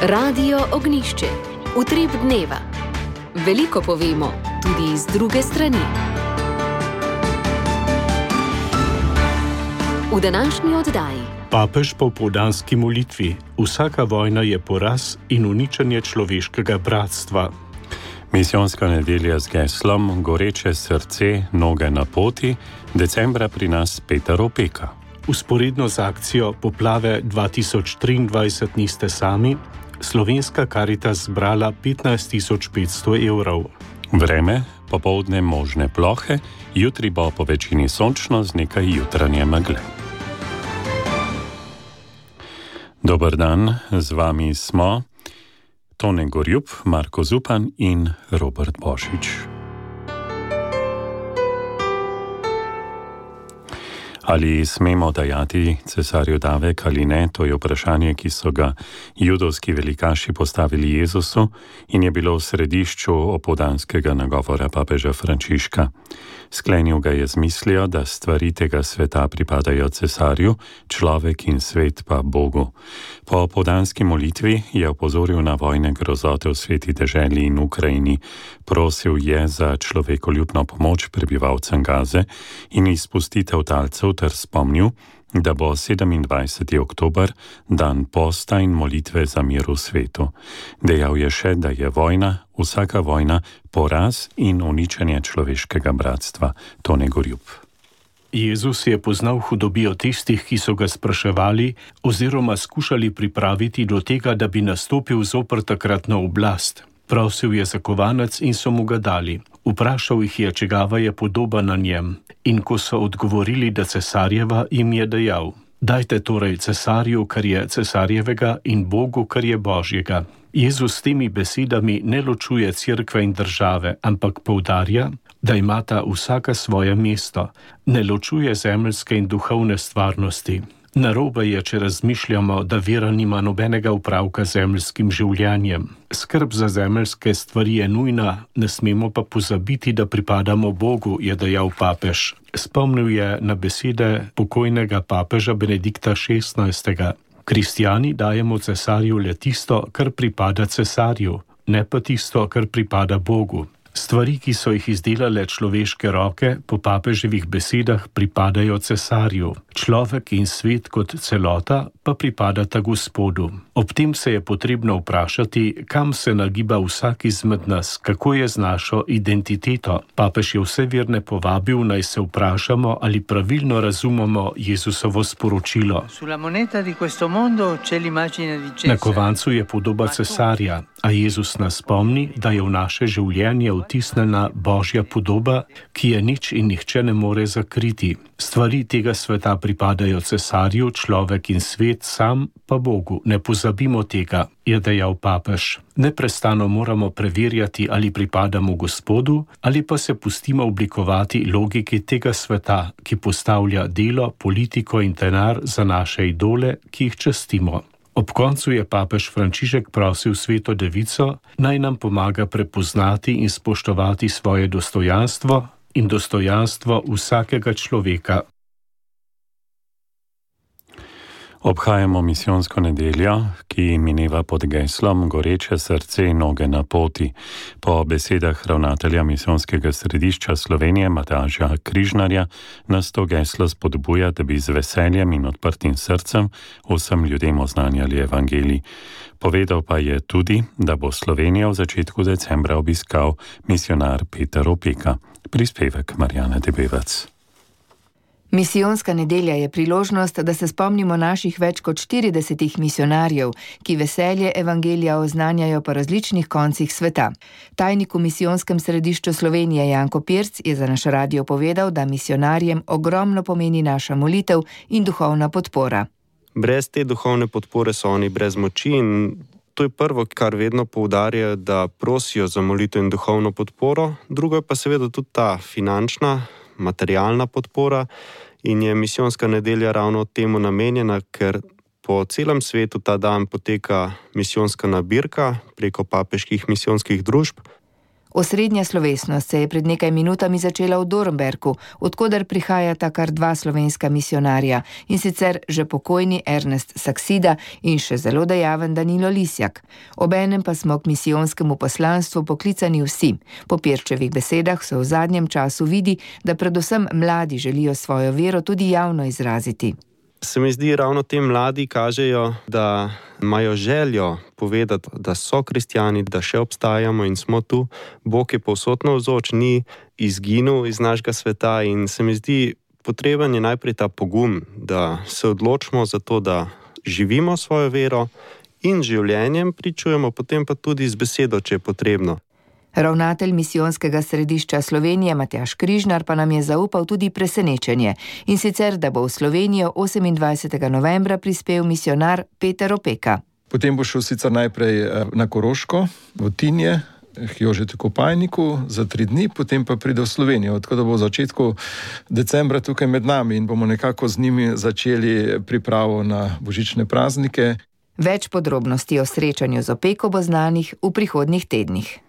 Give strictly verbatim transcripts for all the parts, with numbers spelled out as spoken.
Radio Ognjišče. Utrip dneva. Veliko povemo, tudi iz druge strani. V današnji oddaji. Papež po popoldanski molitvi. Vsaka vojna je poraz in uničenje človeškega bratstva. Misijonska nedelja z geslom Goreče srce, noge na poti, decembra pri nas Peter Opeka. Usporedno z akcijo Poplave dva tisoč triindvajset niste sami, Slovenska Karitas zbrala petnajst tisoč petsto evrov. Vreme, popoldne možne plohe, jutri bo po večini sončno z nekaj jutranje megle. Dober dan, z vami smo Tone Gorjup, Marko Zupan in Robert Božič. Ali smemo dajati cesarju davek ali ne, to je vprašanje, ki so ga judovski velikaši postavili Jezusu in je bilo v središču opoldanskega nagovora papeža Frančiška. Sklenil ga je z mislijo, da stvari tega sveta pripadajo cesarju, človek in svet pa Bogu. Po opoldanski molitvi je opozoril na vojne grozote v sveti deželi in Ukrajini, prosil je za človekoljubno pomoč prebivalcem Gaze in izpustitev talcev ter spomnil, da bo sedemindvajseti oktober dan posta in molitve za mir v svetu. Dejal je še, da je vojna, vsaka vojna, poraz in uničenje človeškega bratstva. Tone Gorjup. Jezus je poznal hudobijo tistih, ki so ga spraševali oziroma skušali pripraviti do tega, da bi nastopil zoper takratno oblast. Prosil je za kovanec in so mu ga dali. Vprašal jih je, čigava je podoba na njem. In ko so odgovorili, da cesarjeva, jim je dejal: dajte torej cesarju, kar je cesarjevega, in Bogu, kar je Božjega. Jezus s temi besedami ne ločuje cerkve in države, ampak poudarja, da imata vsaka svoje mesto. Ne ločuje zemeljske in duhovne stvarnosti. Narobe je, če razmišljamo, da vera nima nobenega upravka z zemeljskim življenjem. Skrb za zemeljske stvari je nujna, ne smemo pa pozabiti, da pripadamo Bogu, je dejal papež. Spomnil je na besede pokojnega papeža Benedikta šestnajstega. Kristjani dajemo cesarju le tisto, kar pripada cesarju, ne pa tisto, kar pripada Bogu. Stvari, ki so jih izdelale človeške roke, po papeževih besedah pripadajo cesarju. Človek in svet kot celota pa pripadata Gospodu. Ob tem se je potrebno vprašati, kam se nagiba vsak izmed nas, kako je z našo identiteto. Papež je vse verne povabil, naj se vprašamo, ali pravilno razumemo Jezusovo sporočilo. Na kovancu je podoba cesarja, a Jezus nas spomni, da je v naše življenje vtisnjena Božja podoba, ki je nič in nihče ne more zakriti. Stvari tega sveta pripadajo cesarju, človek in svet sam pa Bogu. Ne pozabimo tega, je dejal papež. Neprestano moramo preverjati, ali pripadamo Gospodu, ali pa se pustimo oblikovati logiki tega sveta, ki postavlja delo, politiko in denar za naše idole, ki jih častimo. Ob koncu je papež Frančišek prosil Sveto Devico, naj nam pomaga prepoznati in spoštovati svoje dostojanstvo in dostojanstvo vsakega človeka. Obhajamo misijonsko nedeljo, ki mineva pod geslom Goreče srce, noge na poti. Po besedah ravnatelja misijonskega središča Slovenije Mataža Križnarja nas to geslo spodbuja, da bi z veseljem in odprtim srcem vsem ljudem oznanjali evangelij. Povedal pa je tudi, da bo Slovenijo v začetku decembra obiskal misionar Peter Opeka. Prispevek Marjana Debevec. Misijonska nedelja je priložnost, da se spomnimo naših več kot štiridesetih misionarjev, ki veselje evangelija oznanjajo po različnih koncih sveta. Tajnik v Misijonskem središču Slovenije Janko Pirc je za naš radio povedal, da misionarjem ogromno pomeni naša molitev in duhovna podpora. Brez te duhovne podpore so oni brez moči in to je prvo, kar vedno poudarjajo, da prosijo za molitev in duhovno podporo. Drugo je pa seveda tudi ta finančna, materialna podpora in je misijonska nedelja ravno temu namenjena, ker po celem svetu ta dan poteka misijonska nabirka preko papeških misijonskih družb. Osrednja slovesnost se je pred nekaj minutami začela v Dornberku, odkoder prihajata kar dva slovenska misionarja, in sicer že pokojni Ernest Saksida in še zelo dejaven Danilo Lisjak. Obenem pa smo k misijonskemu poslanstvu poklicani vsi. Po Pirčevih besedah se v zadnjem času vidi, da predvsem mladi želijo svojo vero tudi javno izraziti. Se mi zdi, ravno te mladi kažejo, da imajo željo povedati, da so kristjani, da še obstajamo in smo tu. Bog je povsod navzoč, ni izginil iz našega sveta in se mi zdi, potreben je najprej ta pogum, da se odločimo za to, da živimo svojo vero in življenjem pričujemo, potem pa tudi z besedo, če je potrebno. Ravnatelj misijonskega središča Slovenije Matjaž Križnar pa nam je zaupal tudi presenečenje, in sicer, da bo v Slovenijo osemindvajsetega novembra prispel misionar Peter Opeka. Potem bo šel sicer najprej na Koroško, v Tinje, k Jožetu Kopajniku za tri dni, potem pa pride v Slovenijo, tako da bo v začetku decembra tukaj med nami in bomo nekako z njimi začeli pripravo na božične praznike. Več podrobnosti o srečanju z Opeko bo znanih v prihodnjih tednih.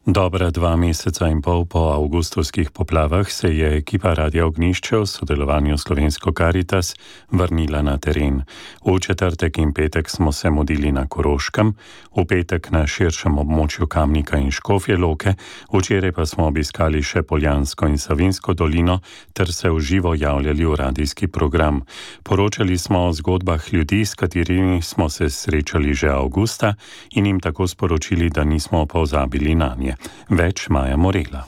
Dobra dva meseca in pol po avgustovskih poplavah se je ekipa Radia Ognjišče v sodelovanju s Slovensko Karitas vrnila na teren. V četrtek in petek smo se modili na Koroškem, v petek na širšem območju Kamnika in Škofje Loke, včeraj pa smo obiskali še Poljansko in Savinjsko dolino ter se v živo javljali v radijski program. Poročali smo o zgodbah ljudi, s katerimi smo se srečali že avgusta in jim tako sporočili, da nismo pozabili nanje. Več Maja Morela.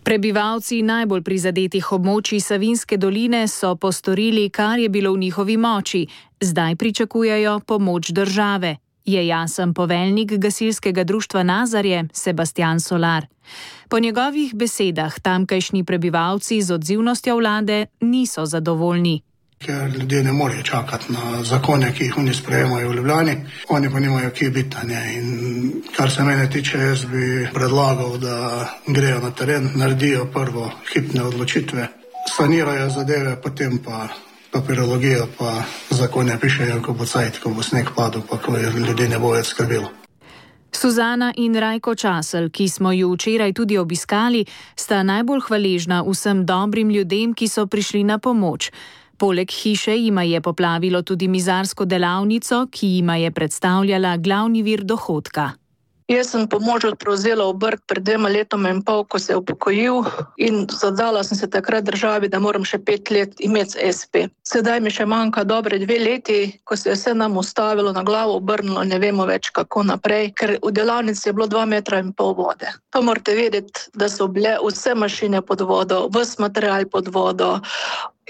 Prebivalci najbolj prizadetih območij Savinjske doline so postorili, kar je bilo v njihovi moči. Zdaj pričakujejo pomoč države, je jasen poveljnik gasilskega društva Nazarje Sebastian Solar. Po njegovih besedah tamkajšnji prebivalci z odzivnostjo vlade niso zadovoljni. Ker ljudje ne morejo čakati na zakone, ki jih oni sprejemajo v Ljubljani, oni pa nimajo kje biti. In kar se mene tiče, jaz bi predlagal, da grejo na teren, naredijo prvo hipne odločitve, sanirajo zadeve, potem pa papirologijo, pa zakone pišejo, ko bo cajt, ko bo sneg padel, pa ko ljudi ne bo več skrbelo. Suzana in Rajko Časel, ki smo ju včeraj tudi obiskali, sta najbolj hvaležna vsem dobrim ljudem, ki so prišli na pomoč. Poleg hiše jima je poplavilo tudi mizarsko delavnico, ki jima je predstavljala glavni vir dohodka. Jaz sem pomoč prevzela v Brk pred dvema letoma in pol, ko se je upokojil, in zadala sem se takrat državi, da moram še pet let imeti es pe. Sedaj mi še manjka dobre dve leti, ko se je vse nam ustavilo, na glavo obrnilo, ne vemo več kako naprej, ker v delavnici je bilo dva metra in pol vode. Pa morate vedeti, da so bile vse mašine pod vodo, ves material pod vodo,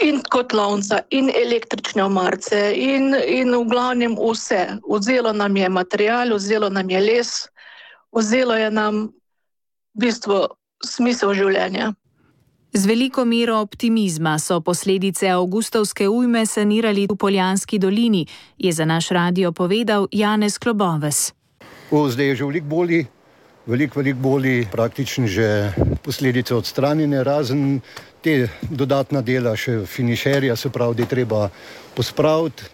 in kotlovnica, in električne omarce, in, in v glavnem vse. Vzelo nam je material, vzelo nam je les, vzelo je nam v bistvu smisel življenja. Z veliko mero optimizma so posledice avgustovske ujme sanirali v Poljanski dolini, je za naš radio povedal Janez Kloboves. O, zdaj je že veliko bolji, veliko, veliko bolji, praktično že posledice odstranjene, razen te dodatna dela še finišerja, se pravi, da je treba pospraviti.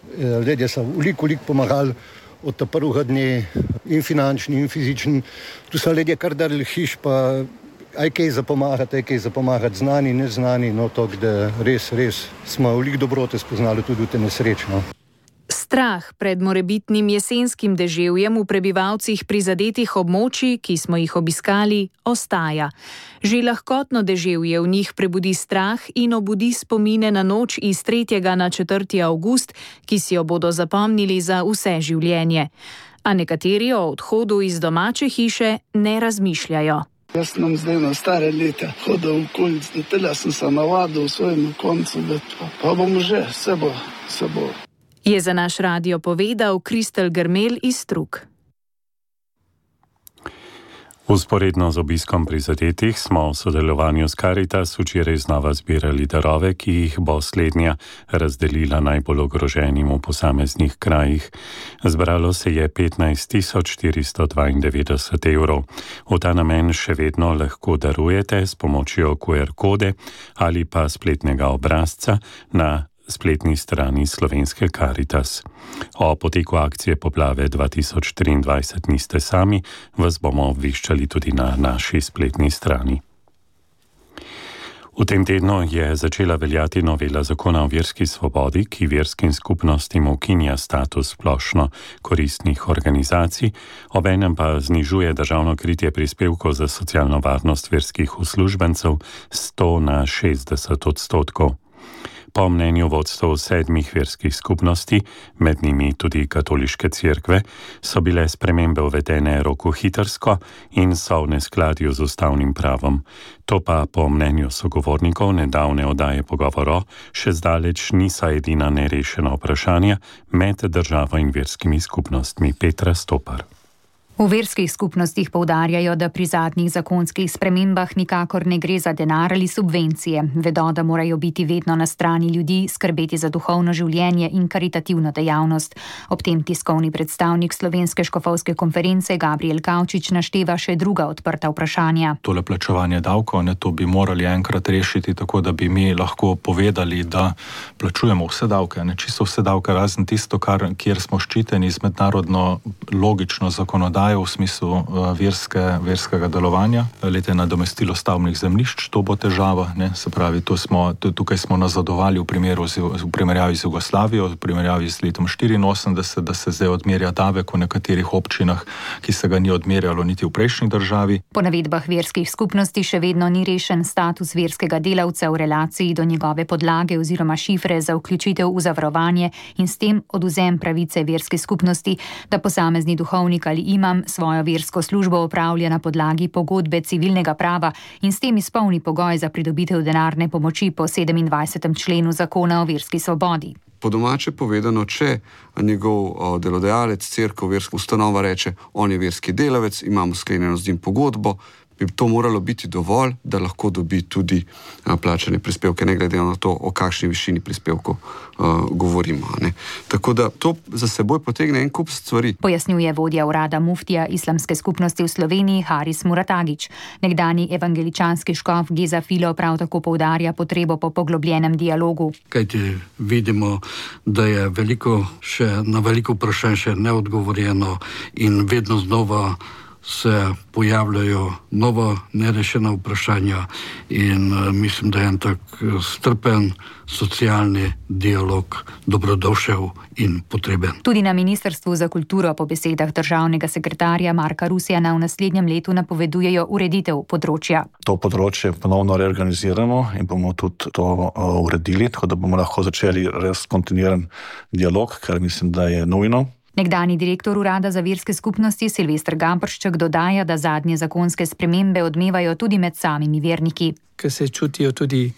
Ljudje so veliko, veliko pomagali od ta prvega dne, in finančni, in fizični. Tu so ljudje kar dali hiš, pa aj kaj za pomagati, aj kaj za pomagati, znani, neznani, no to, da res, res smo veliko dobrote spoznali tudi v te nesrečno. Strah pred morebitnim jesenskim deževjem v prebivalcih prizadetih območij, ki smo jih obiskali, ostaja. Že lahkotno deževje v njih prebudi strah in obudi spomine na noč iz tretjega na četrti avgust, ki si jo bodo zapomnili za vse življenje. A nekateri o odhodu iz domače hiše ne razmišljajo. Jaz sem zdaj na stare leta hodil v okolic, da tega sem se navadil v svojem koncu, da pa, pa bom že, se bo, se bo. Je za naš radio povedal Kristel Grmel iz Strug. Vzporedno z obiskom prizadetih smo v sodelovanju s Karitas včeraj znova zbirali darove, ki jih bo slednja razdelila najbolj ogroženim v posameznih krajih. Zbralo se je petnajst tisoč štiristo dvaindevetdeset evrov. V ta namen še vedno lahko darujete s pomočjo ku er kode ali pa spletnega obrazca na spletni strani Slovenske Karitas. O poteku akcije Poplave dva tisoč triindvajset niste sami, vas bomo obveščali tudi na naši spletni strani. V tem tednu je začela veljati novela zakona o verski svobodi, ki verskim skupnostim ukinja status splošno koristnih organizacij, obenem pa znižuje državno kritje prispevkov za socialno varnost verskih uslužbencev s sto na šestdeset odstotkov. Po mnenju vodstev sedmih verskih skupnosti, med njimi tudi katoliške cerkve, so bile spremembe uvedene rokohitrsko in so v neskladju z ustavnim pravom. To pa po mnenju sogovornikov nedavne oddaje Pogovoro še zdaleč niso edina nerešena vprašanja med državo in verskimi skupnostmi. Petra Stopar. V verskih skupnostih poudarjajo, da pri zadnjih zakonskih spremembah nikakor ne gre za denar ali subvencije. Vedo, da morajo biti vedno na strani ljudi, skrbeti za duhovno življenje in karitativno dejavnost. Ob tem tiskovni predstavnik Slovenske škofovske konference Gabriel Kavčič našteva še druga odprta vprašanja. Tole plačevanje davkov, ne, to bi morali enkrat rešiti tako, da bi mi lahko povedali, da plačujemo vse davke, ne, čisto vse davke, razen tisto, kar, kjer smo ščiteni z mednarodno logično zakonodajo v smislu uh, verske, verskega delovanja. Lete nadomestilo stavbnih zemljišč, to bo težava, ne? Se pravi, to smo, to, tukaj smo nazadovali v, primeru, v primerjavi z Jugoslavijo, v primerjavi z letom štiriinosemdeset, da se zdaj odmerja davek v nekaterih občinah, ki se ga ni odmerjalo niti v prejšnji državi. Po navedbah verskih skupnosti še vedno ni rešen status verskega delavca v relaciji do njegove podlage oziroma šifre za vključitev v zavarovanje in s tem odvzem pravice verske skupnosti, da posamezni duhovnik ali imam svojo versko službo opravlja na podlagi pogodbe civilnega prava in s tem izpolni pogoj za pridobitev denarne pomoči po sedemindvajsetem členu zakona o verski svobodi. Po domače povedano, če njegov o, delodajalec, cerkev, verska ustanova reče, on je verski delavec, imamo sklenjeno z njim pogodbo, bi to moralo biti dovolj, da lahko dobi tudi a, plačane prispevke, ne glede na to, o kakšni višini prispevkov a, govorimo. Ne. Tako da to za seboj potegne en kup stvari. Pojasnjuje vodja urada muftija islamske skupnosti v Sloveniji Haris Muratagić. Nekdani evangeličanski škof Geza Filo prav tako poudarja potrebo po poglobljenem dialogu. Kajti vidimo, da je veliko še, na veliko vprašanj še neodgovorjeno in vedno znova se pojavljajo nova nerešena vprašanja in uh, mislim, da je en tak strpen socialni dialog dobrodošel in potreben. Tudi na Ministrstvu za kulturo po besedah državnega sekretarja Marka Rusjana v naslednjem letu napovedujejo ureditev področja. To področje ponovno reorganiziramo in bomo tudi to uh, uredili, tako da bomo lahko začeli res kontinuiran dialog, kar mislim, da je nujno. Nekdani direktor urada za verske skupnosti Silvester Gampršček dodaja, da zadnje zakonske spremembe odmevajo tudi med samimi verniki. Ker se čutijo tudi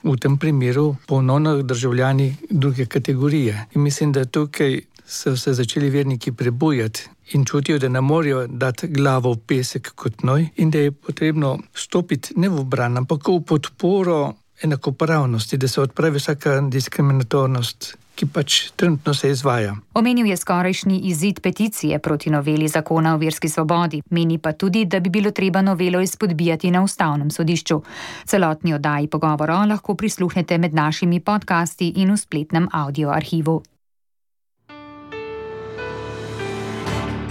v tem primeru ponovno državljani druge kategorije. In mislim, da tukaj so se začeli verniki prebujati in čutijo, da ne morejo dati glavo v pesek kot noj in da je potrebno stopiti ne v bran, ampak v podporo enakopravnosti, da se odpravi vsaka diskriminatornost, ki pač trenutno se izvaja. Omenil je skorajšnji izid peticije proti noveli zakona o verski svobodi. Meni pa tudi, da bi bilo treba novelo izpodbijati na ustavnem sodišču. Celotni oddaji Pogovoro lahko prisluhnete med našimi podcasti in v spletnem audio arhivu.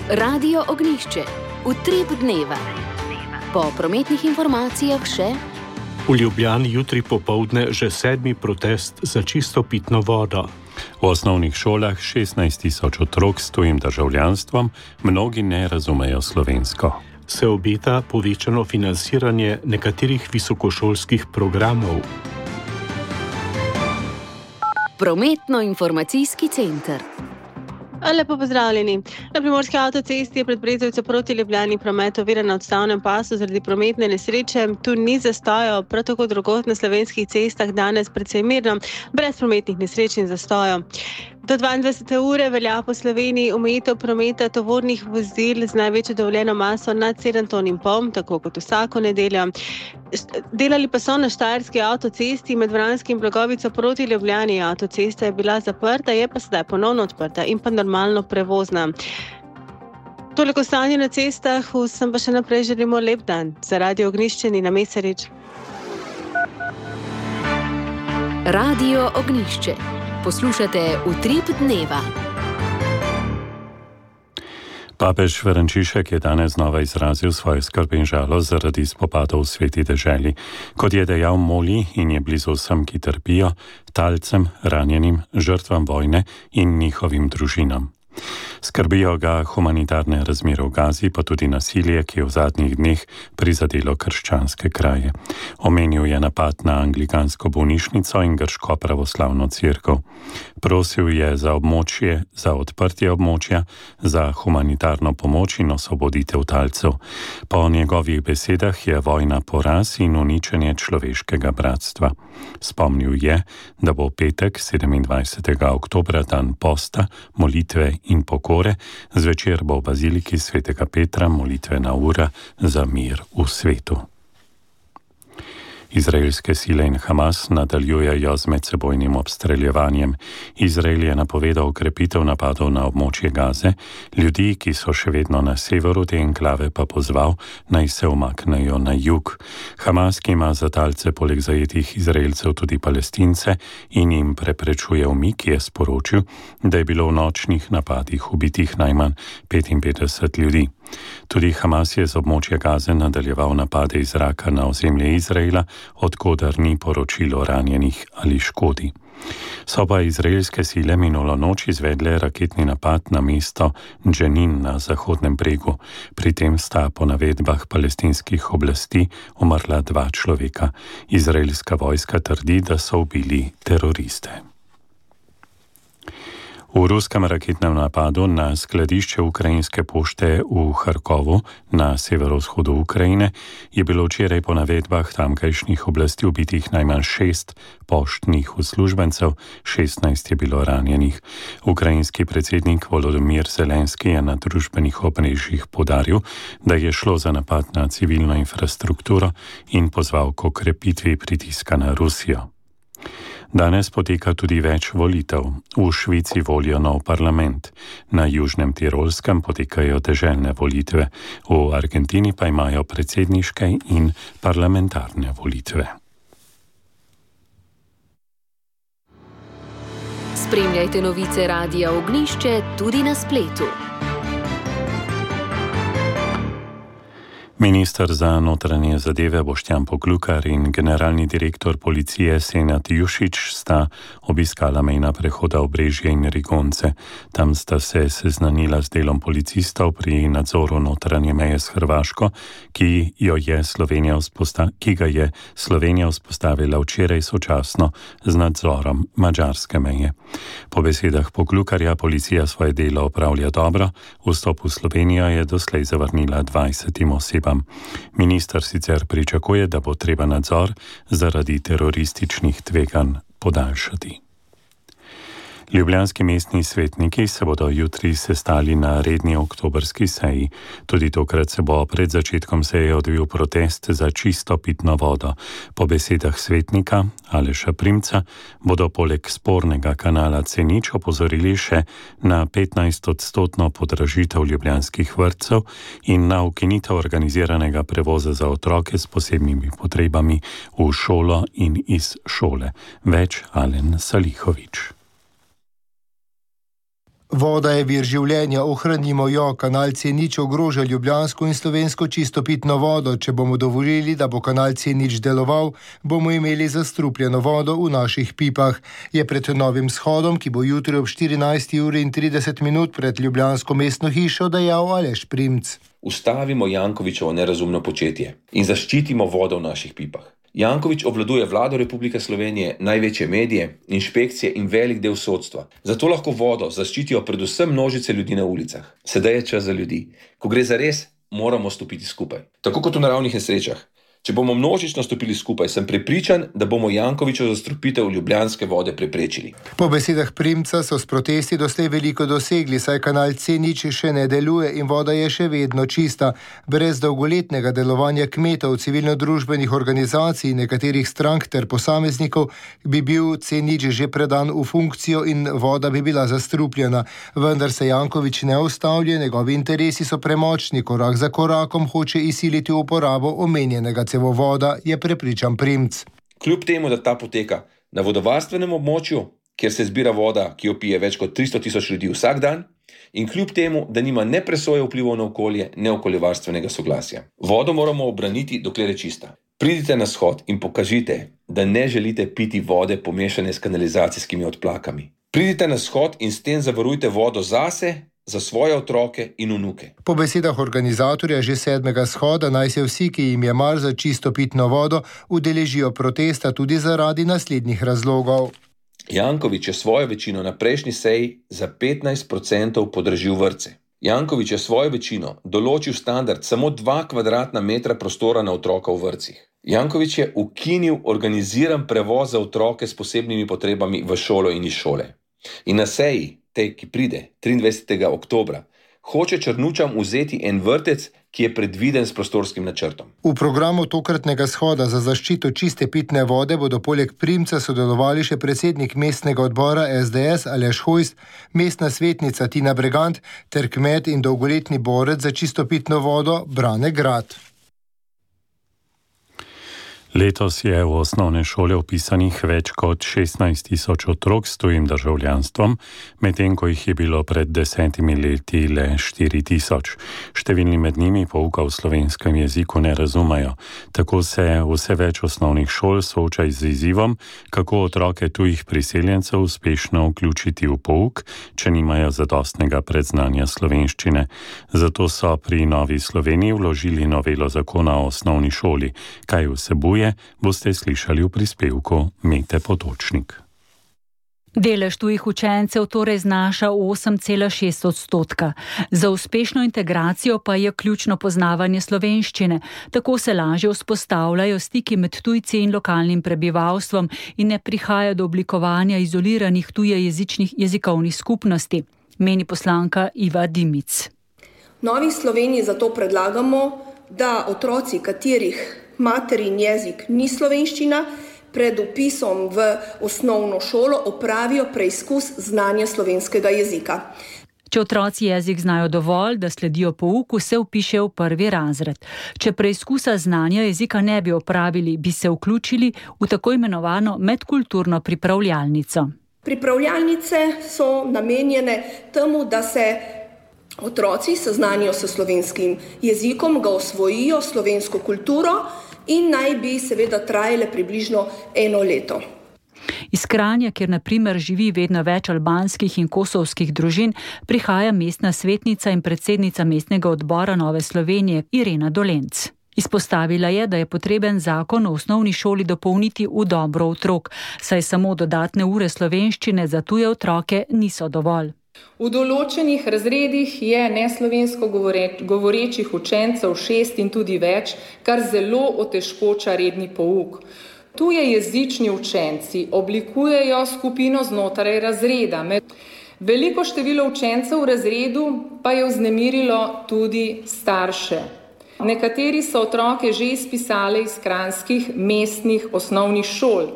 Radio Ognjišče. Utrip dneva. Po prometnih informacijah še... V Ljubljani jutri popoldne že sedmi protest za čisto pitno vodo. V osnovnih šolah šestnajst tisoč otrok s tujim državljanstvom, mnogi ne razumejo slovensko. Se obeta povečano financiranje nekaterih visokošolskih programov. Prometno-informacijski center. Lepo pozdravljeni. Na primorski avtocesti je pred Brezovico proti Ljubljani promet oviran na odstavnem pasu zaradi prometne nesreče. Tu ni zastojev, prav tako drugod na slovenskih cestah danes precej mirno, brez prometnih nesreč in zastojev. Do dvaindvajsete ure velja po Sloveniji omejitev prometa tovornih vozil z največjo dovoljeno maso nad sedem ton in pol, tako kot vsako nedeljo. Delali pa so na Štajerski avtocesti med Vranskim in Blagovico proti Ljubljani. Avtocesta je bila zaprta, je pa sedaj ponovno odprta in pa normalno prevozna. Toliko stanje na cestah, vsem pa še naprej želimo lep dan. Za Radio Ognjišče Nina Mesarič. Radio Ognjišče. Poslušate Utrip dneva. Papež Frančišek je danes znova izrazil svoje skrb in žalost zaradi spopadov v sveti deželi. Kot je dejal, moli in je blizu vsem, ki trpijo, talcem, ranjenim, žrtvam vojne in njihovim družinam. Skrbijo ga humanitarne razmere v Gazi, pa tudi nasilje, ki je v zadnjih dneh prizadelo krščanske kraje. Omenil je napad na anglikansko bolnišnico in grško pravoslavno cerkev. Prosil je za območje, za odprtje območja, za humanitarno pomoč in osvoboditev talcev. Po njegovih besedah je vojna poraz in uničenje človeškega bratstva. Spomnil je, da bo petek sedemindvajsetega oktobra dan posta, molitve in pokore, zvečer bo v baziliki svetega Petra molitvena ura za mir v svetu. Izraelske sile in Hamas nadaljujejo z medsebojnim obstreljevanjem. Izrael je napovedal okrepitev napadov na območje Gaze, ljudi, ki so še vedno na severu te enklave, pa pozval, naj se umaknejo na jug. Hamas, ki ima za talce poleg zajetih Izraelcev tudi Palestince in jim preprečuje umik, je sporočil, da je bilo v nočnih napadih ubitih najmanj petinpetdeset ljudi. Tudi Hamas je z območja Gaze nadaljeval napade iz zraka na ozemlje Izraela, odkudar ni poročilo ranjenih ali škodi. So pa izraelske sile minulo noč izvedle raketni napad na mesto Dženin na Zahodnem bregu. Pri tem sta po navedbah palestinskih oblasti umrla dva človeka. Izraelska vojska trdi, da so ubili teroriste. V ruskem raketnem napadu na skladišče ukrajinske pošte v Harkovu na severovzhodu Ukrajine je bilo včeraj po navedbah tamkajšnjih oblasti ubitih najmanj šest poštnih uslužbencev, šestnajst je bilo ranjenih. Ukrajinski predsednik Volodymyr Zelenski je na družbenih omrežjih poudaril, da je šlo za napad na civilno infrastrukturo in pozval k okrepitvi pritiska na Rusijo. Danes poteka tudi več volitev. V Švici volijo nov parlament. Na Južnem Tirolskem potekajo deželne volitve. V Argentini pa imajo predsedniške in parlamentarne volitve. Spremljajte novice Radia Ognjišče tudi na spletu. Minister za notranje zadeve Boštjan Poklukar in generalni direktor policije Senad Jušić sta obiskala mejna prehoda Obrežje in Rigonce. Tam sta se seznanila z delom policistov pri nadzoru notranje meje s Hrvaško, ki, jo je Slovenija vzposta- ki ga je Slovenija vzpostavila včeraj sočasno z nadzorom madžarske meje. Po besedah Poklukarja policija svoje delo opravlja dobro, vstop v Slovenijo je doslej zavrnila dvajsetim osebam. Minister sicer pričakuje, da bo treba nadzor zaradi terorističnih tveganj podaljšati. Ljubljanski mestni svetniki se bodo jutri sestali na redni oktobrski seji. Tudi tokrat se bo pred začetkom seje odvil protest za čisto pitno vodo. Po besedah svetnika Aleša Primca bodo poleg spornega kanala C nič opozorili še na petnajst odstotno podražitev ljubljanskih vrtcev in na ukinitev organiziranega prevoza za otroke s posebnimi potrebami v šolo in iz šole. Več Alen Salihovič. Voda je vir življenja, ohranimo jo, kanal C nič ogroža ljubljansko in slovensko čisto pitno vodo. Če bomo dovolili, da bo kanal C nič deloval, bomo imeli zastrupljeno vodo v naših pipah. Je pred novim shodom, ki bo jutri ob štirinajsti uri in trideset minut pred ljubljansko mestno hišo dejal Aleš Primc. Ustavimo Jankovićevo nerazumno početje in zaščitimo vodo v naših pipah. Janković obvladuje vlado Republike Slovenije, največje medije, inšpekcije in velik del sodstva. Zato lahko vodo zaščitijo predvsem množice ljudi na ulicah. Sedaj je čas za ljudi. Ko gre za res, moramo stopiti skupaj. Tako kot v naravnih nesrečah. Če bomo množično stopili skupaj, sem prepričan, da bomo Jankovićevo zastrupitev ljubljanske vode preprečili. Po besedah Primca so s protesti doslej veliko dosegli, saj kanal C nič še ne deluje in voda je še vedno čista. Brez dolgoletnega delovanja kmetov, civilno-družbenih organizacij, nekaterih strank ter posameznikov bi bil C nič že predan v funkcijo in voda bi bila zastrupljena. Vendar se Janković ne ustavlja, njegovi interesi so premočni, korak za korakom hoče izsiliti uporabo omenjenega voda, je prepričan Primc. Kljub temu, da ta poteka na vodovarstvenem območju, kjer se zbira voda, ki jo pije več kot tristo tisoč ljudi vsak dan, in kljub temu, da nima ne presoje vplivov na okolje, ne okoljevarstvenega soglasja. Vodo moramo obraniti, dokler je čista. Pridite na shod in pokažite, da ne želite piti vode pomešane s kanalizacijskimi odplakami. Pridite na shod in s tem zavarujte vodo zase, za svoje otroke in vnuke. Po besedah organizatorja že sedmega shoda naj se vsi, ki jim je mar za čisto pitno vodo, udeležijo protesta tudi zaradi naslednjih razlogov. Janković je svojo večino na prejšnji seji za petnajst procentov podražil vrtce. Janković je svojo večino določil standard samo dva kvadratna metra prostora na otroka v vrtcih. Janković je ukinil organiziran prevoz za otroke s posebnimi potrebami v šolo in iz šole. In na seji, tej, ki pride triindvajsetega oktobra, hoče Črnučam vzeti en vrtec, ki je predviden s prostorskim načrtom. V programu tokratnega shoda za zaščito čiste pitne vode bodo poleg Primca sodelovali še predsednik mestnega odbora S D S Aleš Hojs, mestna svetnica Tina Bregant ter kmet in dolgoletni borec za čisto pitno vodo Brane Grad. Letos je v osnovne šole vpisanih več kot šestnajst tisoč otrok s tujim državljanstvom, medtem ko jih je bilo pred desetimi leti le štiri tisoč. Številni med njimi pouka v slovenskem jeziku ne razumejo. Tako se vse več osnovnih šol sooča z izzivom, kako otroke tujih priseljencev uspešno vključiti v pouk, če nimajo zadostnega predznanja slovenščine. Zato so pri Novi Sloveniji vložili novelo zakona o osnovni šoli. Kaj vsebuje, boste slišali v prispevku Mete Potočnik. Delež tujih učencev torej znaša osem cela šest odstotka. Za uspešno integracijo pa je ključno poznavanje slovenščine. Tako se lažje vzpostavljajo stiki med tujci in lokalnim prebivalstvom in ne prihaja do oblikovanja izoliranih tujejezičnih jezikovnih skupnosti, meni poslanka Iva Dimic. Novi Sloveniji zato predlagamo, da otroci, katerih materin jezik ni slovenščina, pred vpisom v osnovno šolo opravijo preizkus znanja slovenskega jezika. Če otroci jezik znajo dovolj, da sledijo pouku, se vpišejo v prvi razred. Če preizkusa znanja jezika ne bi opravili, bi se vključili v tako imenovano medkulturno pripravljalnico. Pripravljalnice so namenjene temu, da se otroci seznanijo s slovenskim jezikom, ga osvojijo, slovensko kulturo in naj bi seveda trajale približno eno leto. Iz Kranja, kjer na primer živi vedno več albanskih in kosovskih družin, prihaja mestna svetnica in predsednica mestnega odbora Nove Slovenije Irena Dolenc. Izpostavila je, da je potreben zakon o osnovni šoli dopolniti v dobro otrok, saj samo dodatne ure slovenščine za tuje otroke niso dovolj. V določenih razredih je neslovensko govorečih učencev šest in tudi več, kar zelo otežkoča redni pouk. Tuje jezični učenci oblikujejo skupino znotraj razreda. Veliko število učencev v razredu pa je vznemirilo tudi starše. Nekateri so otroke že izpisali iz kranjskih mestnih osnovnih šol.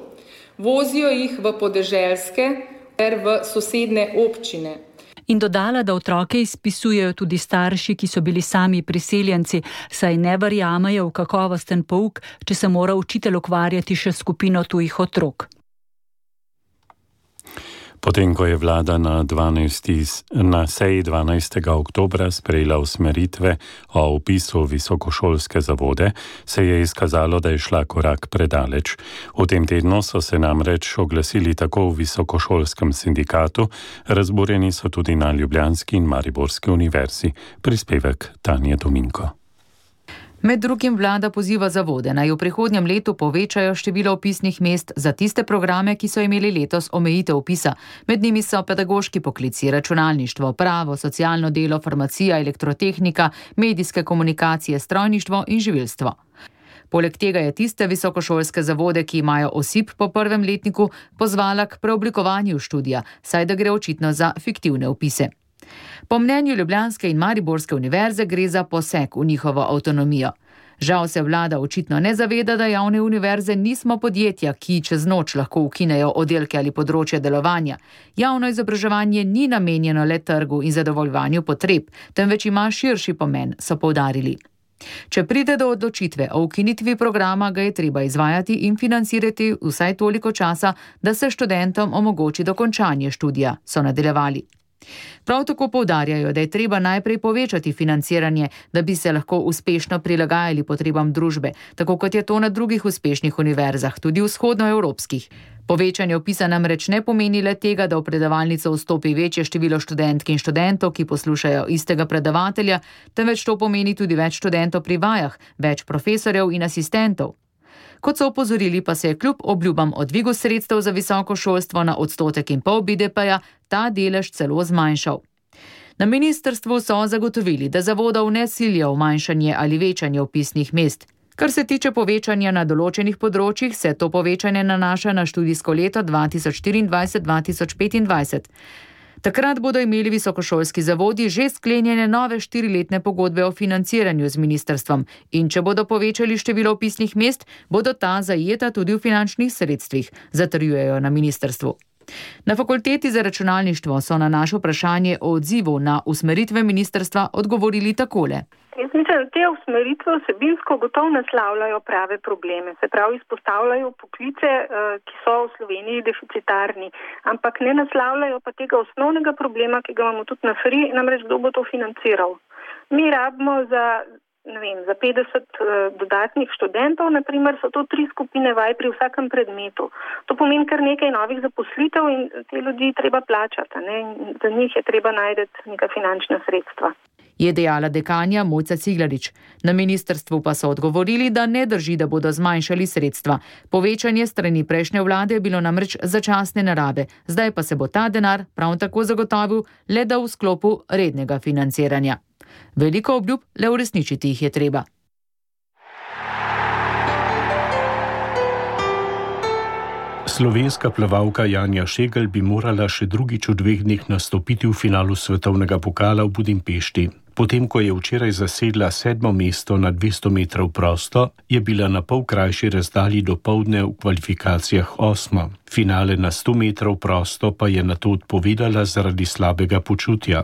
Vozijo jih v podeželske ter v sosedne občine. In dodala, da otroke izpisujejo tudi starši, ki so bili sami priseljenci, saj ne verjamejo v kakovosten pouk, če se mora učitelj ukvarjati še s skupino tujih otrok. Potem, ko je vlada na, na seji dvanajstega oktobra sprejela usmeritve o vpisu v visokošolske zavode, se je izkazalo, da je šla korak predaleč. V tem tednu so se namreč oglasili tako v visokošolskem sindikatu, razburjeni so tudi na Ljubljanski in Mariborski univerzi. Prispevek Tanje Dominko. Med drugim vlada poziva zavode, naj v prihodnjem letu povečajo število vpisnih mest za tiste programe, ki so imeli letos omejitev vpisa. Med njimi so pedagoški poklici, računalništvo, pravo, socialno delo, farmacija, elektrotehnika, medijske komunikacije, strojništvo in živilstvo. Poleg tega je tiste visokošolske zavode, ki imajo osip po prvem letniku, pozvala k preoblikovanju študija, saj da gre očitno za fiktivne vpise. Po mnenju Ljubljanske in Mariborske univerze gre za poseg v njihovo avtonomijo. Žal se vlada očitno ne zaveda, da javne univerze nismo podjetja, ki čez noč lahko ukinejo oddelke ali področje delovanja. Javno izobraževanje ni namenjeno le trgu in zadovoljovanju potreb, temveč ima širši pomen, so poudarili. Če pride do odločitve o ukinitvi programa, ga je treba izvajati in financirati vsaj toliko časa, da se študentom omogoči dokončanje študija, so nadaljevali. Prav tako poudarjajo, da je treba najprej povečati financiranje, da bi se lahko uspešno prilagajali potrebam družbe, tako kot je to na drugih uspešnih univerzah, tudi vzhodnoevropskih. Povečanje vpisa namreč ne pomeni le tega, da v predavalnico vstopi večje število študentk in študentov, ki poslušajo istega predavatelja, temveč to pomeni tudi več študentov pri vajah, več profesorjev in asistentov. Kot so opozorili, pa se je kljub obljubam o dvigu sredstev za visoko šolstvo na odstotek in pol B D P-ja ta delež celo zmanjšal. Na ministrstvu so zagotovili, da zavodov ne silijo v manjšanje ali večanje vpisnih mest. Kar se tiče povečanja na določenih področjih, se to povečanje nanaša na študijsko leto dva tisoč štiriindvajset dva tisoč petindvajset. Takrat bodo imeli visokošolski zavodi že sklenjene nove štiriletne pogodbe o financiranju z ministrstvom in če bodo povečali število vpisnih mest, bodo ta zajeta tudi v finančnih sredstvih, zatrjujejo na ministrstvu. Na fakulteti za računalništvo so na naše vprašanje o odzivu na usmeritve ministrstva odgovorili takole. Jaz mislim, da te usmeritve vsebinsko gotovo naslavljajo prave probleme, se pravi izpostavljajo poklice, ki so v Sloveniji deficitarni, ampak ne naslavljajo pa tega osnovnega problema, ki ga imamo tudi na F R I, namreč kdo bo to financiral. Mi rabimo za, ne vem, za petdeset dodatnih študentov, naprimer so to tri skupine vaj pri vsakem predmetu. To pomeni kar nekaj novih zaposlitev in te ljudi treba plačati, ne? Za njih je treba najti neka finančna sredstva. Je dejala dekanja Mojca Ciglarič. Na ministrstvu pa so odgovorili, da ne drži, da bodo zmanjšali sredstva. Povečanje strani prejšnje vlade je bilo namreč začasne narave, zdaj pa se bo ta denar prav tako zagotovil, le da v sklopu rednega financiranja. Veliko obljub, le uresničiti jih je treba. Slovenska plavalka Janja Šegel bi morala še drugič v dveh dneh nastopiti v finalu svetovnega pokala v Budimpešti. Potem, ko je včeraj zasedla sedmo mesto na dvesto metrov prosto, je bila na pol krajši razdalji do poldne v kvalifikacijah osma. Finale na sto metrov prosto pa je nato odpovedala zaradi slabega počutja.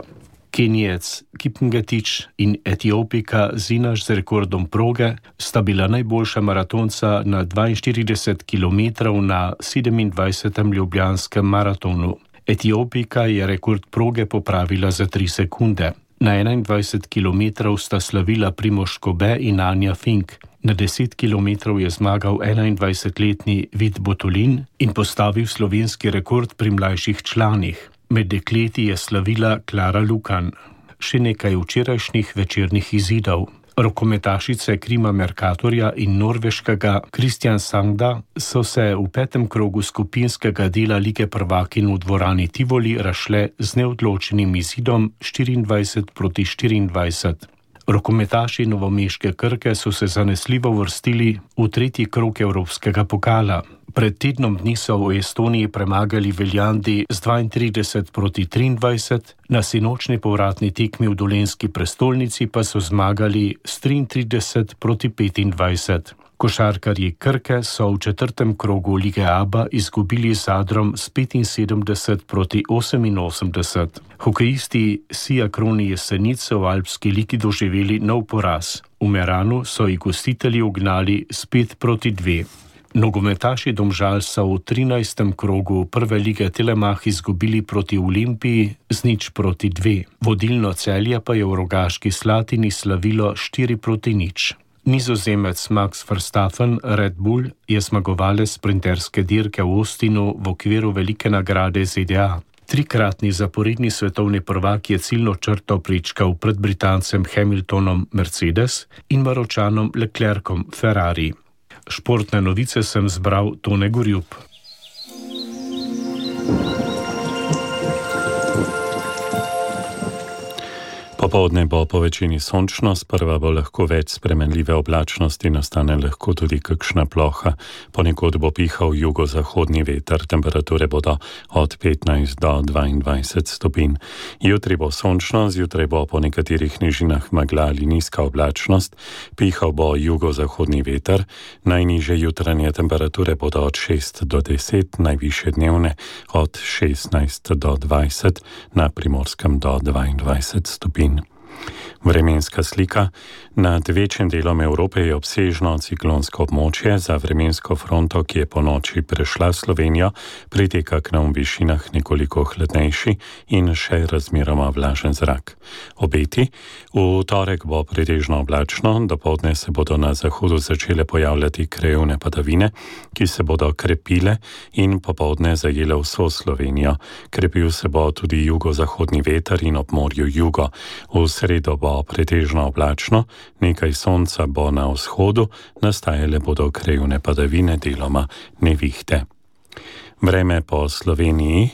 Kenijec Kipngetič in Etiopika Zinaš z rekordom proge sta bila najboljša maratonca na dvainštirideset kilometrov na sedemindvajsetem ljubljanskem maratonu. Etiopika je rekord proge popravila za tri sekunde. Na enaindvajset kilometrov sta slavila Primož Kobe in Anja Fink. Na deset kilometrov je zmagal enaindvajsetletni Vid Botolin in postavil slovenski rekord pri mlajših članih. Med dekleti je slavila Klara Lukan. Še nekaj včerajšnjih večernih izidov. Rokometašice Krima Mercatorja in norveškega Kristjan Sangda so se v petem krogu skupinskega dela Lige prvakinj v dvorani Tivoli razšle z neodločenim izidom štiriindvajset proti štiriindvajset. Rokometaši novomeške Krke so se zanesljivo vrstili v tretji krog evropskega pokala. Pred tednom dni so v Estoniji premagali Veljandi z dvaintrideset proti triindvajset, na sinočni povratni tekmi v dolenjski prestolnici pa so zmagali s triintrideset proti petindvajset. Košarkarji Krke so v četrtem krogu Lige Aba izgubili z Zadrom s petinsedemdeset proti oseminosemdeset. Hokejisti Siakroni Jesenic so v alpski ligi doživeli nov poraz. V Meranu so jih gostitelji ugnali s pet proti dve. Nogometaši Domžal so v trinajstem krogu prve lige Telemach izgubili proti Olimpiji z nič proti dve. Vodilno Celje pa je v Rogaški Slatini slavilo štiri proti nič. Nizozemec Max Verstappen, Red Bull, je zmagovalec sprinterske dirke v Austinu v okviru velike nagrade Z D A. Trikratni zaporedni svetovni prvak je ciljno črto pričkal pred Britancem Hamiltonom Mercedes in Maročanom Leclercom Ferrari. Športne novice sem zbral Tone Gorjup. Popoldne bo po večini sončno, sprva bo lahko več spremenljive oblačnosti, nastane lahko tudi kakšna ploha. Ponekod bo pihal jugozahodni veter, temperature bodo od petnajst do dvaindvajset stopinj. Jutri bo sončno, zjutraj bo po nekaterih nižinah megla ali nizka oblačnost, pihal bo jugozahodni veter, najnižje jutranje temperature bodo od šest do deset, najvišje dnevne od šestnajst do dvajset, na Primorskem do dvaindvajset stopinj. Vremenska slika. Nad večjim delom Evrope je obsežno ciklonsko območje. Za vremensko fronto, ki je po noči prešla Slovenijo, priteka k nam v višinah nekoliko hladnejši in še razmeroma vlažen zrak. Obeti. V torek bo pretežno oblačno, dopoldne se bodo na zahodu začele pojavljati krajevne padavine, ki se bodo krepile in popoldne zajele vso Slovenijo. Krepil se bo tudi jugozahodni veter in ob morju jugo. V sredo bo pretežno oblačno, nekaj sonca bo na vzhodu, nastajale bodo krajevne padavine, deloma nevihte. Vreme po Sloveniji.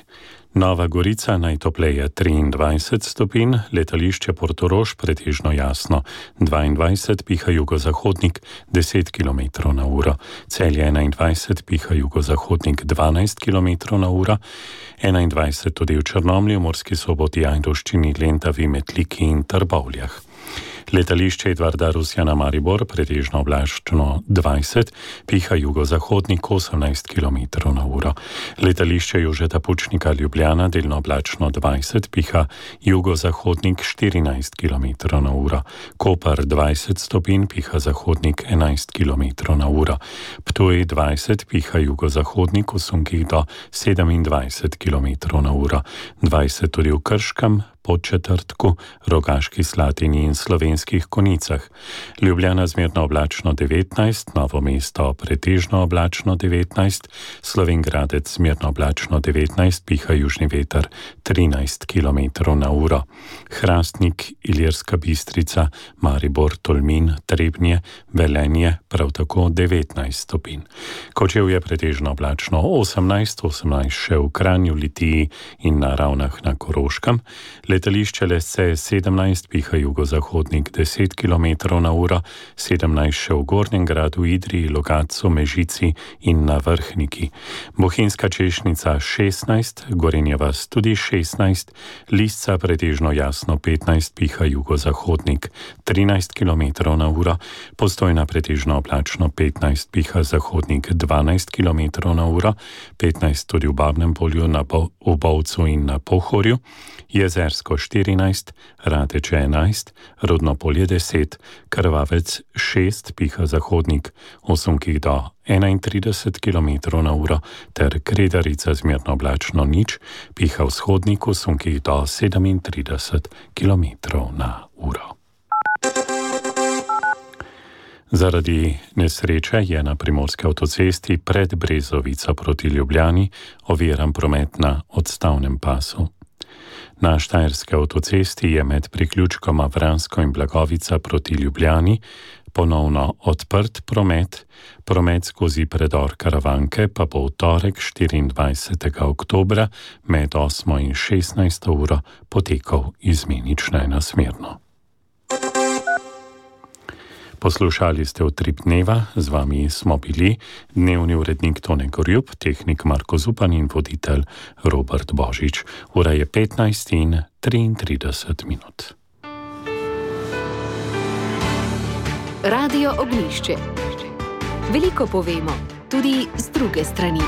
Nova Gorica najtopleje triindvajset stopinj, letališče Portorož pretežno jasno dvaindvajset, piha jugozahodnik deset kilometrov na uro, Celje enaindvajset, piha jugozahodnik dvanajst kilometrov na uro, enaindvajset tudi v Črnomlju, Murski Soboti, Ajdovščini, Lentavi, Metliki in Trbovljah. Letališče Edvarda Rusjana Maribor pretežno oblačno dvajset, piha jugozahodnik osemnajst kilometrov na uro. Letališče Jožeta Pučnika Ljubljana delno oblačno dvajset, piha jugozahodnik štirinajst kilometrov na uro. Koper dvajset stopinj, piha zahodnik enajst kilometrov na uro. Ptuj dvajset, piha jugozahodnik v sunkih do sedemindvajset kilometrov na uro. dvajset tudi v Krškem, Podčetrtku, Rogaški Slatini in Slovenskih Konicah. Ljubljana zmerno oblačno devetnajst, Novo mesto pretežno oblačno devetnajst, Slovenj Gradec zmerno oblačno devetnajst, piha južni veter trinajst kilometrov na uro. Hrastnik, Ilirska Bistrica, Maribor, Tolmin, Trebnje, Velenje, prav tako devetnajst stopinj. Kočevje pretežno oblačno osemnajst, osemnajst še v Kranju, Litiji in na Ravnah na Koroškem. Letališče Lesce sedemnajst, piha jugozahodnik deset kilometrov na uro, sedemnajst še v Gornjem Gradu, Idriji, Logatcu, Mežici in na Vrhniki. Bohinjska Češnica šestnajst, Gorenja vas tudi šestnajst, Lisca pretežno jasno petnajst, piha jugozahodnik trinajst kilometrov na uro, Postojna pretežno oblačno petnajst, piha zahodnik dvanajst kilometrov na uro, petnajst tudi v Babnem Polju, na Bo- v Bovcu in na Pohorju, Jezersko štirinajst, Rateče enajst, Rudno Polje deset, Krvavec šest, piha zahodnik v sunkih do enaintrideset kilometrov na uro, ter Kredarica zmerno oblačno nič, piha vzhodnik v sunkih do sedemintrideset kilometrov na uro. Zaradi nesreče je na primorski avtocesti pred Brezovico proti Ljubljani oviran promet na odstavnem pasu. Na štajerski avtocesti je med priključkoma Vransko in Blagovica proti Ljubljani ponovno odprt promet, promet skozi predor Karavanke pa bo v torek štiriindvajsetega oktobra med osmo in šestnajsto uro potekal izmenično enosmerno. Poslušali ste Utrip dneva, z vami smo bili dnevni urednik Tone Gorjup, tehnik Marko Zupan in voditelj Robert Božič. Ura je petnajst in triintrideset minut. Radio Ognjišče. Veliko povemo, tudi z druge strani.